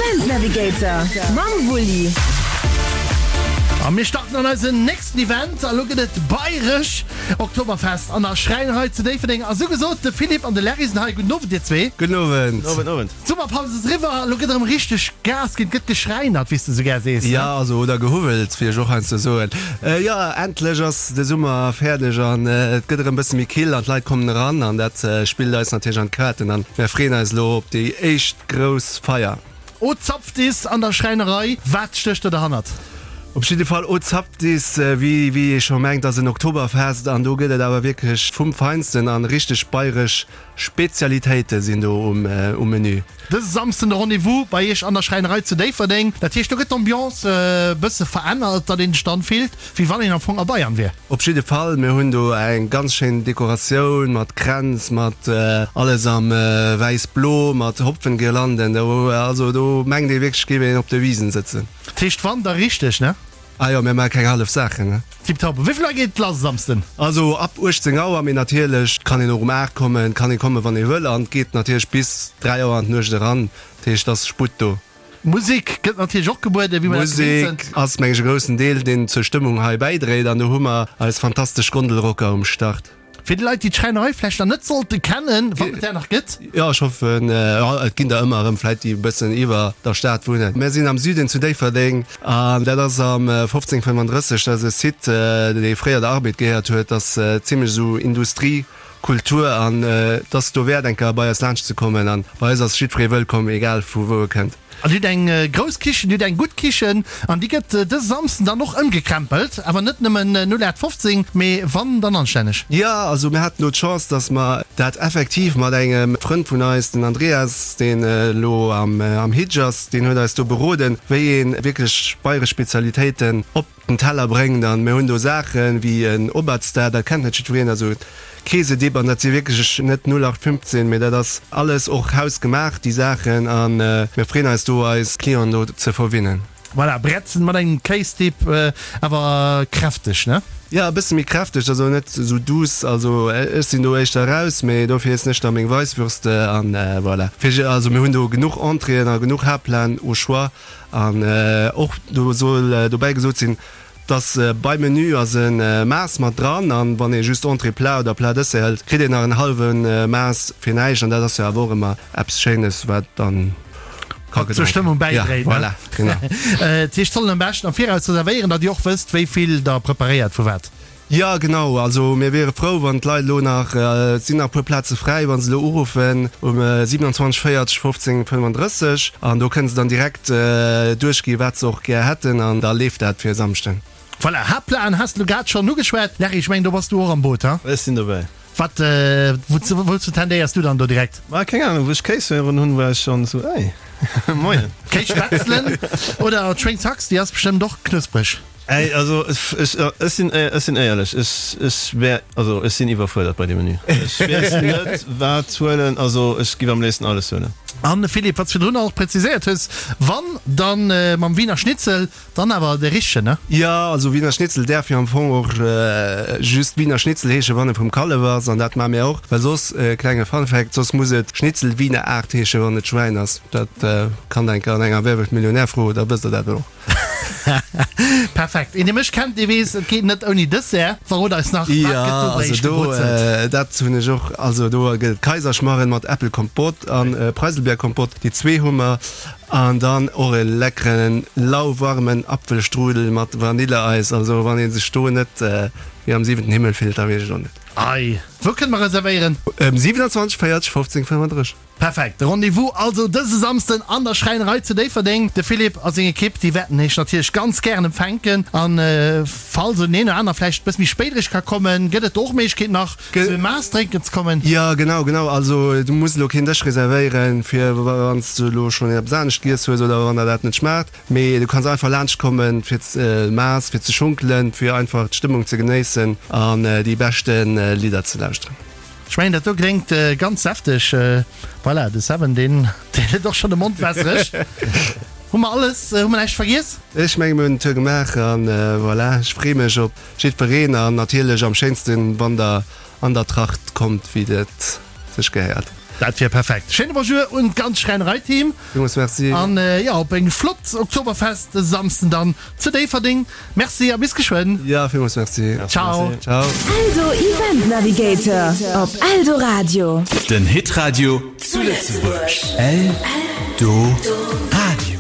Event Navigator mam Wulli. A mir starten an eisen nächsten Event. A lo gëtt et bayresch Oktoberfest an der Schräinerei zu Déifferdeng. A sou gesot, de Philippe an de Larry sinn hei. Gudden Owend dir zwee. Gudden Owend. Owend, Owend. D'Summerpaus ass eriwwer, lo gëtt erëm richteg Gas ginn. Et gëtt geschräinert, wéi s de sou gär sees, ne? Jo, also oder gehuwwelt, wéi ech och heiansdo soen. Jo, endlech ass de Summer fäerdeg an et gëtt erëm bësse méi kill an d'Leit kommen eran an dat spillt eis natierlech an d'Kaarten an mär freeën eis elo op déi éischt grouss Feier. O Zapftis an der Schräinerei, wat stécht do derhannert? Op jidde Fall O Zapftis, wéi wéi ee scho mengt, ass en Oktoberfest an do gëtt et awer wierklech vum Feinsten an richteg bayresch Spezialitéite sinn do um um Menü. Dëse Samsden de Rendez-vous bei iech an der Schräinerei zu Déifferdeng. Dat heescht do gëtt d'Ambiance e bësse verännert, datt een sech dann fillt wéi wann een am Fong a Bayern wier. Op jidde Fall, mir hunn do eng ganz schéin Dekoratioun mat Kränz, mat alles am wäiss-blo, mat Hopfengirlanden. Do, also do mengt ee wierklech, géif een op der Wisen sëtzen. Dat heescht wann, da richteg, ne? Ah jo, mir maache keng hallef Saachen, ne? Tiptop. Wéi vill Auer geet et lass e Samsden? Also ab 18 Auer, mee natierlech kann een och um 8 kommen, kann ee kommen, wann ee wëll, an et geet natierlech bis 3 Auer an d'Nuecht eran. Dat heescht, et ass Sputt do. Musek gëtt natierlech och gebueden, wéi mer dat gewinnt sinn. Musek ass, meng ech, e groussen Deel, deen zur Stëmmung hei bäidréit. An do hu mer eis fantastesch Gondelrocker um Start. Fir déi Leit, déi d'Schräinerei vläicht nach net sollte kennen, wann et där nach gëtt. Jo, ech hoffen, jo, et ginn der ëmmer erëm vläicht, déi e bëssen iwwer der Stad wunnen. Mär sinn am Süden zu Déifferdeng an dat ass am 1535. Dat ass e Site, dee fréier der Arbed gehéiert huet. Dat ass zimlech esou Industrie. Kultur an et ass dowäert eng Kéier bei eis laanscht ze kommen an bei eis ass jiddweree wëllkomm, egal vu wou e kënnt. An Dir hutt eng grouss Kichen, Dir hutt eng gutt Kichen an déi gëtt dëse Samsden dann och ëmgekrempelt, awer net nëmmen 0815, mee wann, dann anstänneg. Jo, also mir haten do d'Chance, dass mer dat effektiv mat engem Frënd vun eis, den Andreas, deen elo am Hitch ass, deen huet eis do beroden, wéi ee wierklech bayresch Spezialitéiten op den Teller bréngt an mir hunn do Saachen wéi en Obatzda, dat kennt net jiddwereen, also Käsedip an dat si wierklech net 0815, mee dat ass alles och hausgemaach déi Saachen a mir freeën eis do eis Clienten do ze verwinnen. Voilà, Bretzen mat engem Kéisdip, awer kräfteg, ne? Jo, e bësse méi kräfteg, also net esou douce, also ech sinn do éischter raus, mee dofir iessen ech da meng Weisswürste an voilà. Fir, also mir hunn do genuch Entréeën a genuch Haaptplaten au choix. An och do soll dobäi gesot sinn, dass beim Menü ass e Maas mat dran an wann ee just Entrée, Plat oder Plat Dessert hëlt, kritt een nach en hallwe Maas fir näischt an dat ass jo awer och ëmmer eppes Schéines, wat dann ka gedronk zur Stëmmung ginn. Ja, bäidréit. voilà, genau. Dat heescht, sollen am beschten am Viraus reservéieren, datt Dir och wësst, wéi vill Der preparéiert vu wat. Jo genau, also mir wiere frou wann d'Leit elo nach, et sinn nach e puer Plaze fräi, wa se elo uruffen um 27 40 15 35 an do kënne se dann direkt duerchgi wat se och gär hätten an da leeft dat fir e Samschden. Voilà, Haaptplanen has de lo grad schonn ugeschwat. Larry, ech mengen do bass du och am Boot, ha? Ech sinn dobäi. Wat, wouzou tendéiers du dann do direkt? Ma keng Ahnung, wou ech Kéis héieren hunn, war ech schonn esou, Ey, moien. Kéisspätzlen oder d'Schwéngshax, déi ass bestëmmt och knuspreg. Ey, also ech, ech sinn, ech sinn éierlech, ech, ech wär, also ech sinn iwwerfuerdert bei deem Menü. Ech weess net wat huelen, also ech giff am léifsten alles huelen. An Philippe, wat s virdrun och präziséiert hues, wann dann mam Wiener Schnitzel, dann awer de richtegen, ne? Jo, also Wiener Schnitzel däerf jo am Fong och just Wiener Schnitzel heeschen, wann e vum Kallef ass, an dat maache mir och, well soss, klenge Fun Fact, soss muss et Schnitzel Wiener Art heeschen, wann et Schwäin ass. Dat kann der eng Kéier an enger Wer wird Millionär froen, da wësst der dat och. Perfekt. Een dee mech kennt, dee weess, et geet net ouni Dessert. Verrot eis nach, wat Ja, gëtt do bei also iech do, gebrutzelt? dat hunn ech och, also do gëtt et Kaiserschmarren mat Äppelkompott an Preiselbeerkompott, déi zwee hu mer. An dann och e leckeren lauwarmen Apfelstrudel mat Vanilleeis. Also wann ee sech do net wéi am siwenten Himmel fillt, da weess ech och net. Ei, wou kënne mer reservéieren? Ëm 27 40 15 35. Perfekt, de Rendez-vous also dëse Samsden an der Schräinerei zu Déifferdeng. De Philippe a seng Ekipp, déi wäerten iech natierlech ganz gären empfänken. An falls en een oder aner vläicht e bësse méi spéit eréischt ka kommen, gëtt et do och Méiglechkeet nach zu e Maass drénken ze kommen. Jo, genau, genau. Also du muss elo keen Dësch reservéieren, fir wann s du elo schonn eppes anescht giess hues oder wann der dat net schmaacht. Mee du kanns einfach laanscht kommen fir d'Maass, fir ze schunkelen, fir einfach d'Stëmmung ze genéissen an déi beschte Lidder ze lauschteren. Ech mengen dat do kléngt ganz säfteg. Voilà, de Seven deen huet och schonn de Mond wässereg. Hu mer alles, hu mer näischt vergiess? Ech menge mir hunn den Tour gemaach an voilà, ech free mech op jiddwereen an natierlech am schéinsten wann der an der Tracht kommt wéi et sech gehéiert. Dat wier perfekt. Schéine Bonjour un d'ganz Schräinerei-Team. Villmools Merci. An jo, op eng flott Oktoberfest dëse Samsden dann zu Déifferdeng. Merci a bis geschwënn. Jo, villmools Merci. Ciao. Ciao. Eldo Event Navigator op Eldoradio. Den Hitradio zu Lëtzebuerg. Eldoradio.